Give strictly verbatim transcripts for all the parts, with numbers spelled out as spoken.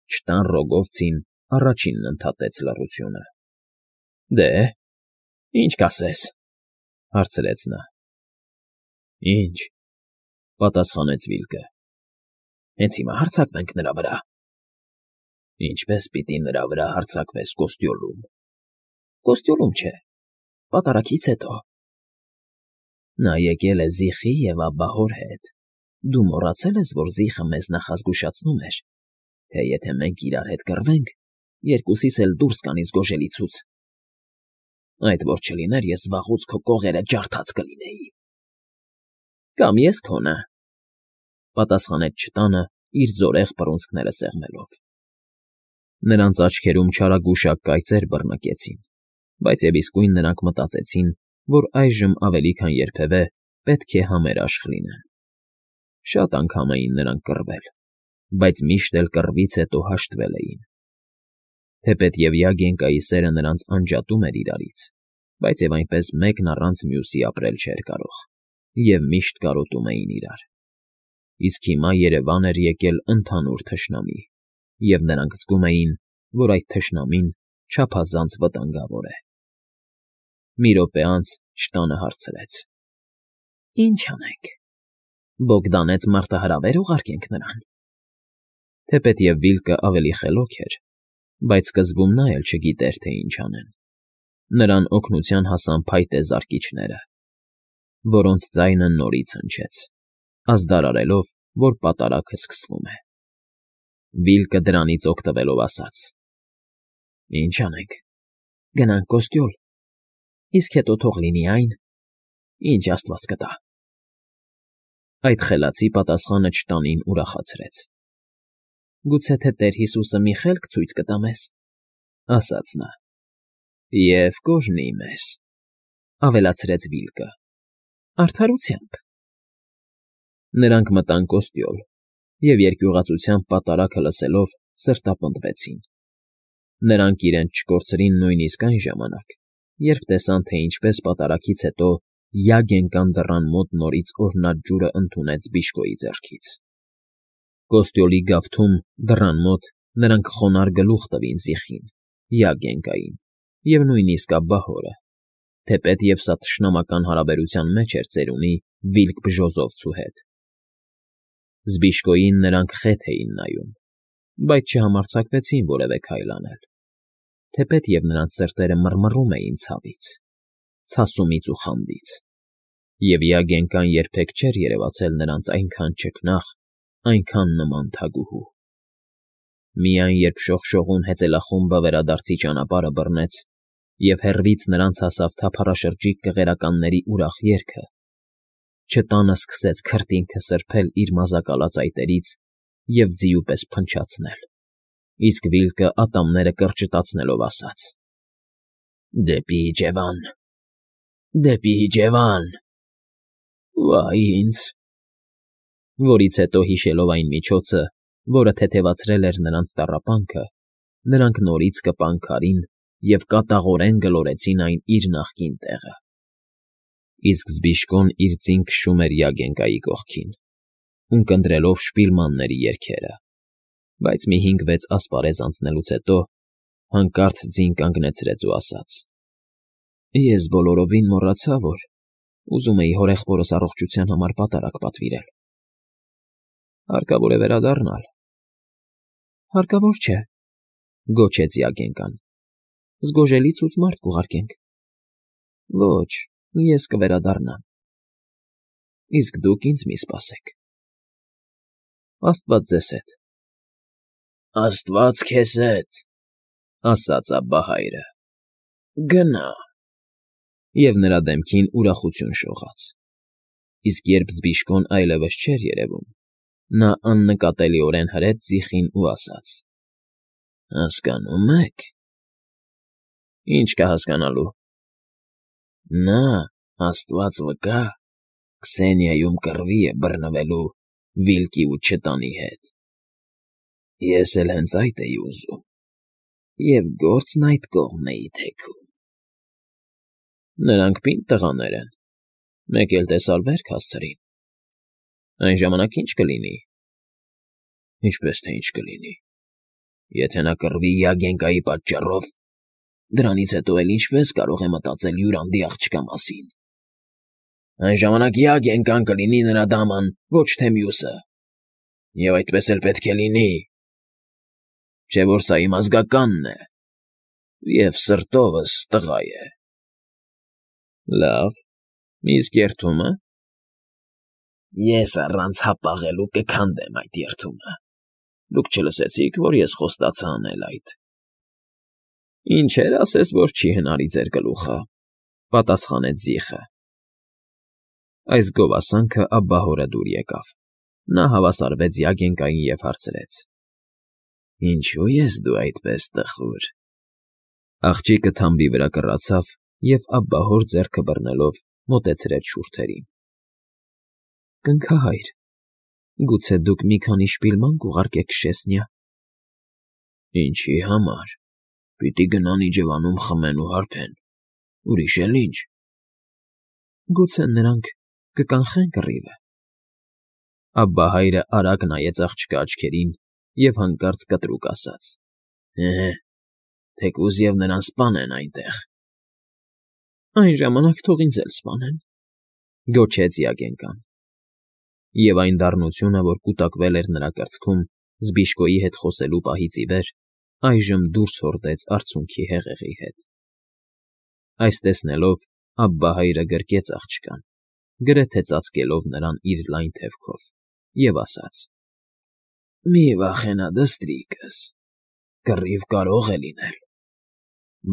Չտան Ռոգովցին առաջինն ընդհատեց լռությունը։ ֊ Դե՞, ինչ կասես,֊ հարցրեց նա։ ֊ Ինչ,֊ պատասխանեց Վիլկը,֊ հենց հիմա հարձակվենք նրա վրա։ ֊ Ինչպե՞ս պիտի նրա վրա հարձակվես կոստյոլում։ ֊ Կոստյոլում չէ, պատարագից հետո։ Նա եկել է Զիխի և Աբբահոր հետ։ Դու մոռացել ես, որ Զիխը մեզ նախազգուշացնում էր, թե եթե մենք իրար հետ կռվենք, երկուսիս էլ դուրս կանից գոժելիցուց։ Այդ որ չլիներ, ես վաղուց քո կողերը ջարդած կլինեի։ ֊ Կամ ես քոնը,֊ պատասխանեց չտանը իր զորեղ բռունցքները սեղմելով։ Նրանց աչքերում չարագուշակ կայծեր բռնկեցին, բայց և իսկույն նրանք մտածեցին, որ այժմ ավելի քան երբևէ պետք է համերաշխ լինեն։ Շատ անգամ էին նրանք կռվել, բայց միշտ էլ կռվից հետո հաշտվել էին։ Թեպետև Յագենկայի սերը նրանց անջատում էր իրարից, բայց և այնպես մեկն առանց մյուսի ապրել չէր կարող, և միշտ կարոտում էին իրար։ Իսկ հիմա երևան էր եկել ընդհանուր թշնամի, և նրանք զգում էին, որ այդ թշնամին չափազանց վտանգավոր է։ Մի րոպե անց չտանը հարցրեց. ֊ Ի՞նչ անենք, Բոգդանեց մարտահրավե՞ր ուղարկենք նրան։ Թեպետև Վիլկը ավելի խելոք էր, բայց սկզբում նա էլ չգիտեր, թե ինչ անեն։ Նրան օգնության հասան փայտե զարկիչները, որոնց ձայնը նորից հնչեց, ազդարարելով, որ պատարագը սկսվում է։ Վիլկը դրանից օգտվելով ասաց. ֊ Ինչ անենք, գնանք կոստյոլ, իսկ հետո թող լինի այն, ինչ աստված կտա։ Այդ խելացի պատասխանը չտանին ուրախացրեց։ ֊ Գուցե թե Տեր Հիսուսը մի խելք ցույց կտա մեզ,֊ ասաց նա։ ֊ Եվ կօրհնի մեզ,֊ ավելացրեց Վիլկը,֊ արդարությամբ։ Նրանք մտան կոստյոլ և երկյուղածությամբ պատարագը լսելով սրտապնդվեցին։ Նրանք իրենց չկորցրին նույնիսկ այն ժամանակ, երբ տեսան, թե ինչպես պատարագից հետո Յագենկան դռան մոտ նորից օրհնած ջուրը ընդունեց Բիժկոյի ձեռքից։ Կոստյոլի գավթում, դռան մոտ, նրանք խոնարհ գլուխ տվին Զիխին, Յագենկային և նույնիսկ Աբբահորը, թեպետև սա թշնամական հարաբերության մեջ էր ծերունի Վիլկ֊Բժոզովցու հետ։ Զբիժկոյին նրանք խեթ էին նայում, բայց չհամարձակվեցին որևէ քայլ անել, թեպետև նրանց սրտերը մռմռում էին ցավից, ցասումից ու խանդից, և Յագենկան երբեք չէր երևացել նրանց այնքան չքնաղ, այնքան նման թագուհու։ Միայն երբ շողշողուն հեծելախումբը վերադարձի ճանապարհը բռնեց, և հեռվից նրանց հասավ թափառաշրջիկ կղերականների ուրախ երգը, չտանը սկսեց քրտինքը սրբել իր մազակալած այտերից և ձիու պես փնչացնել, իսկ Վիլկը ատամները կրճտացնելով ասաց. «Դեպի իջևան, դեպի իջևան, վա՜յ ինձ», որից հետո հիշելով այն միջոցը, որը թեթևացրել էր նրանց տառապանքը, նրանք նորից կպան քարին և կատաղորեն գլորեցին այն իր նախկին տեղը։ Իսկ Զբիժկոն իր ձին քշում էր Յագենկայի կողքին, ունկնդրելով շպիլմանների երգերը, բայց մի հինգ֊վեց ասպարեզ անցնելուց հետո հանկարծ ձին կանգնեցրեց ու ասաց. «Ես բոլորովին մոռացա, որ ուզում էի հորեղբորս առողջության համար պատարագ պատվիրել։ Հարկավոր է վերադառնալ»։ ֊ Հարկավոր չէ,֊ գոչեց Յագենկան,֊ զգոժելիցուց մարդ կուղարկենք։ ֊ Ոչ, ես կվերադառնամ։ ֊ Իսկ դուք ինձ մի սպասեք։ ֊ Աստված ձեզ հետ։ ֊ Աստված քեզ հետ,֊ ասաց Աբբահայրը,֊ գնա՛։ Եվ նրա դեմքին ուրախություն շողաց։ Իսկ երբ Զբիժկոն այլևս չէր երևում, նա աննկատելիորեն հրեց Զիխին ու ասաց. «Հասկանո՞ւմ եք»։ ֊ Ի՞նչ կա հասկանալու։ ֊ Նա, աստված վկա, Քսենիայում կռվի է բռնվելու Վիլկի ու չտանի հետ։ Ես էլ հենց այդ էի ուզում, և գործն այդ կողմն էի թեքում։ ֊ Նրանք պինդ տղաներ են, մեկ էլ տեսար վերք հասցրին։ Այն ժամանակ ի՞նչ կլինի։ ֊ Ինչպես թե ինչ կլինի։ Եթե նա կռվի Յագենկայի պատճառով, դրանից հետո էլ ինչպե՞ս կարող է մտածել հյուրանդի աղջկա մասին։ Այն ժամանակ Յագենկան կլինի նրա դաման, ոչ թե մյուսը։ Եվ այդպես էլ պետք է լինի, չէ՞ որ սա իմ ազգականն է, և սրտովս տղա է։ Լավ, իսկ երդումը։ Ես առանց հապաղելու կքանդեմ այդ երդումը։ Դուք չլսեցիք, որ ես խոստացա անել այդ։ Ինչեր ասես, որ չի հնարի ձեր գլուխը, պատասխանեց Զիխը։ Այս գովասանքը աբբահորը դուր եկավ։ Նա հավասարվեց Յագենկային և հարցրեց. Ինչո՞ւ ես դու այդպես տխուր։ Աղջիկը թամբի վրա կռացավ և աբբահոր ձեռքը բռնելով մոտեցրեց շուրթերին։ Կնքահայր, գուցե դուք մի քանի շպիլման կուղարկեք շեցնյա։ Ինչի համար։ Պիտի գնան իջևանում խմեն ու հարբեն, ուրիշ էլ ինչ։ Գուցե նրանք կկանխեն կռիվը։ Աբբահայրը արագ նայեց աղջկա աչքերին և հանկարծ կտրուկ ասաց. Հե՛, թեկուզ և նրան սպանեն այնտեղ։ Այն ժամանակ թող ինձ էլ սպանեն, գոչեց Յագենկան։ Եվ այն դառնությունը, որ կուտակվել էր նրա կրծքում Զբիշկոյի հետ խոսելու պահից ի վեր, այժմ դուրս հորդեց արցունքի հեղեղի հետ։ Այս տեսնելով աբբահայրը գրկեց աղջկան, գրեթե ծածկելով նրան իր լայն թևքով, և ասաց. Մի վախենա, դստրիկս, կռիվ կարող է լինել,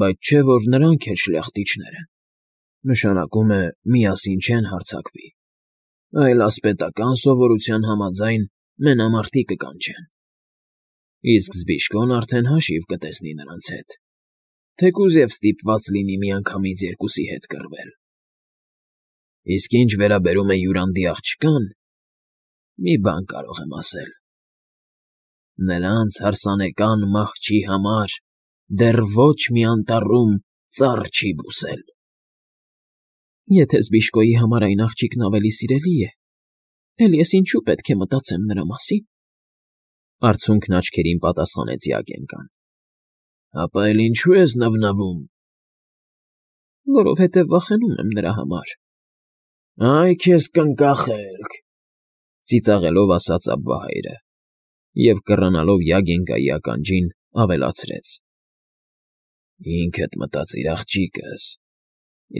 բայց չէ՞ որ նրանք էլ շլախտիչներ են, նշանակում է միասին չեն հարձակվի, այլ ասպետական սովորության համաձայն մենամարտի կկանչեն։ Իսկ Զբիշկոն արդեն հաշիվ կտեսնի նրանց հետ, թեկուզ և ստիպված լինի միանգամից երկուսի հետ կռվել։ Իսկ ինչ վերաբերում է հյուրանդի աղջկան, մի բան կարող եմ ասել. նրանց հարսանեկան մահճի համար դեռ ոչ մի անտառում ծառ չի բուսել։ Եթե Զբիշկոյի համար այն աղջիկն ավելի սիրելի է, էլ ես ինչու պետք է մտածեմ նրա մասին։ Արցունքն աչքերին պատասխանեց Յագենկան։ Ապա էլ ինչու ես նվնվում։ Որովհետև վախենում եմ նրա համար։ Այ քեզ կնկախելք, ծիծաղելով ասաց աբբահայրը, և կռանալով Յագենկայի ականջին ավելացրեց. Ինքդ մտածիր, աղջիկս,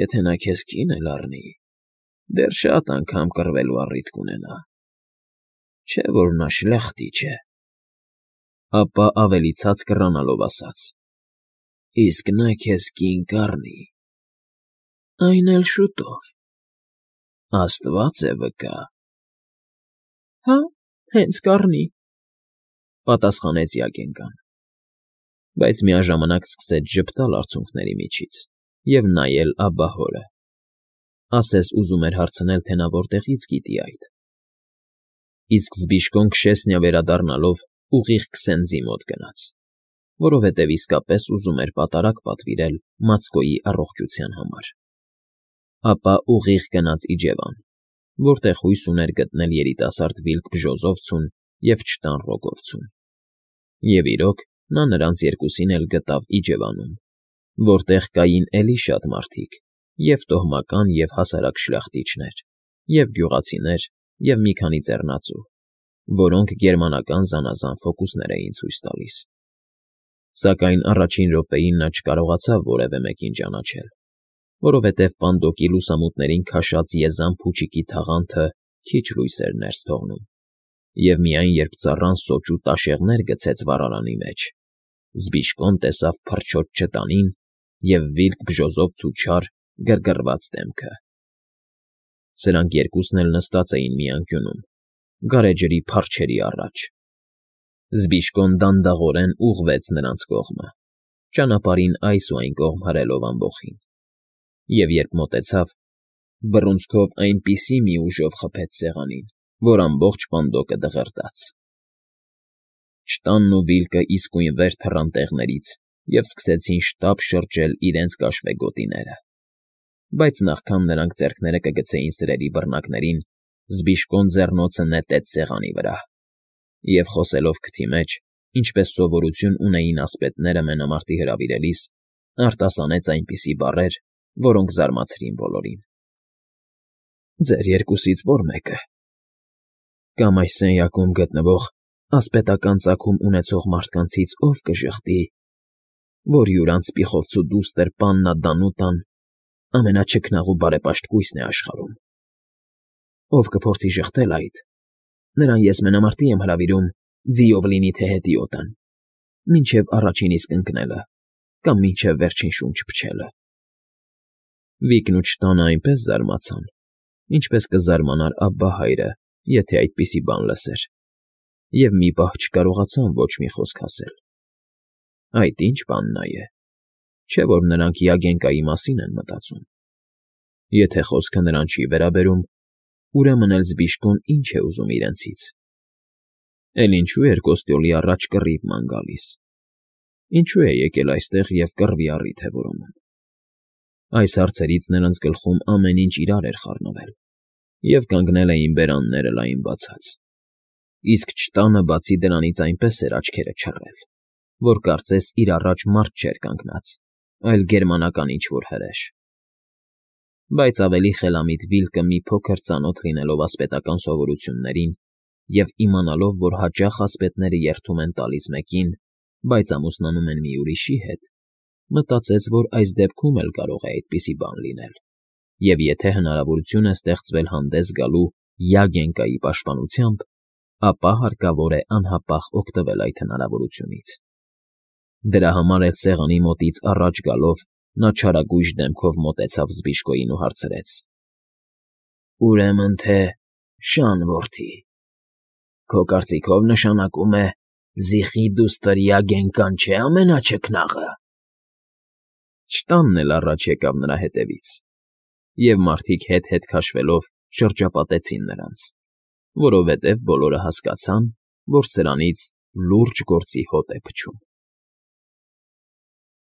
եթե նա քեզ կին էլ առնի, դեռ շատ անգամ կռվելու առիթ կունենա, չէ՞ որ նա շլախտիչ է։ Ապա ավելի ցած կռանալով ասաց. Իսկ նա քեզ կին կառնի, այն էլ շուտով, աստված է վկա։ Հա, հենց կառնի, պատասխանեց Յագենկան, բայց միաժամանակ սկսեց ժպտալ արցունքների միջից և նայել աբբահորը, ասես ուզում էր հարցնել, թե նա որտեղից գիտի այդ։ Իսկ Զբիշկոն քշեսնյա վերադառնալով ուղիղ Քսենձի մոտ գնաց, որովհետև իսկապես ուզում էր պատարագ պատվիրել Մացկոյի առողջության համար։ Ապա ուղիղ գնաց իջևան, որտեղ հույս ուներ գտնել երիտասարդ վիլք Բժոզովցուն և չտան Ռոգովցուն։ Եվ իրոք, նա նրանց երկուսին էլ գտավ իջևանում, որտեղ կային էլի շատ մարդիկ, և տոհմական և հասարակ շլախտիչներ, և գյուղացիներ, և մի քանի ձեռնածու, որոնք գերմանական զանազան ֆոկուսներ էին ցույց տալիս։ Սակայն առաջին րոպեին նա չկարողացավ որևէ մեկին ճանաչել, որովհետև Պանդոկի լուսամուտներին քաշած եզան փուչիկի թաղանթը քիչ լույս էր ներս թողնում, և միայն երբ ծառան սոճու տաշեղներ գցեց վառարանի մեջ, Զբիշկոն տեսավ փրչոտ չտանին և վիլք Բժոզովց ու չար գրգռված դեմքը։ Սրանք երկուսն էլ նստած էին մի անկյունում, գարեջրի փարչերի առաջ։ Զբիշկոն դանդաղորեն ուղղվեց նրանց կողմը, ճանապարհին այս ու այն կողմ հրելով ամբոխին, և երբ մոտեցավ, բռունցքով այնպիսի մի ուժով խփեց սեղանին, որ ամբողջ Պանդոկը դղրդաց։ Չտանն ու վիլկը իսկույն վեր թռան տեղներից և սկսեցին շտապ շրջել իրենց կաշվե գոտիները։ Բայց նախքան նրանք ձեռքները կգցեին սրերի բռնակներին, Զբիշկոն ձեռնոցը նետեց սեղանի վրա և, խոսելով քթի մեջ, ինչպես սովորություն ունեին ասպետները մենամարտի հրավիրելիս, արտասանեց այնպիսի բառեր, որոնք զարմացրին բոլորին։ ֊ Ձեր երկուսից ո՞ր մեկը։ Կամ այս սենյակում գտնվող ասպետական ծագում ունեցող մարդկանցից ո՞վ կժխտի, որ յուր անցպիխովցու դուստր պաննա Դանուտան ամենաչքնաղ ու բարեպաշտ կույսն է աշխարհում։ Ով կփորձի ժխտել այդ, նրան ես մենամարտի եմ հրավիրում ձիով լինի թե հետիոտն, մինչև առաջին իսկ ընկնելը կամ մինչև վերջին շունչ փչելը։ Վիկն ու չտանը այնպես զարմացան, ինչպես կզարմանար Աբբահայրը, եթե այդպիսի բան լսեր, և մի պահ չկարողացան ոչ մի խոսք ասել։ Այդ ի՞նչ պաննա է, չէ՞ որ նրանք Յագենկայի մասին են մտածում։ Եթե խոսքը նրան չի վերաբերում, ուրեմն էլ զբիշկուն ինչ է ուզում իրենցից։ Էլ ինչու էր կոստյոլի առաջ կռիվ ման գալիս։ Ինչու է եկել այստեղ և կռվի առիթ է որոնում։ Այս հարցերից նրանց գլխում ամեն ինչ իրար էր խառնվել, և կանգնել էին բերանները լայն բացած։ Իսկ չտանը բացի դրանից այնպես էր աչքերը չռել, որ կարծես իր առաջ մարդ չէր կանգնած, այլ գերմանական ինչ֊որ հրեշ։ Բայց ավելի խելամիտ Վիլկը մի փոքր ծանոթ լինելով ասպետական սովորություններին և իմանալով, որ հաճախ ասպետները երդում են տալիս մեկին, բայց ամուսնանում են մի ուրիշի հետ, մտածեց, որ այս դեպքում էլ կարող է այդպիսի բան լինել, և եթե հնարավորություն է ստեղծվել հանդես գալու Յագենկայի պաշտպանությամբ, ապա հարկավոր է անհապաղ օգտվել այդ հնարավորությունից։ Դրա համար էլ սեղանի մոտից առաջ գալով նա չարագույժ դեմքով մոտեցավ զբիշկոյին ու հարցրեց. ֊ Ուրեմն թե Շան որդի, քո կարծիքով նշանակում է Զիխի դուստր Յագենկան չէ՞ ամենաչքնաղը։ Չտանն էլ առաջ եկավ նրա հետևից, և մարդիկ հետ֊հետ քաշվելով շրջապատեցին նրանց, որովհետև բոլորը հասկացան, որ սրանից լուրջ գործի հոտ է փչում։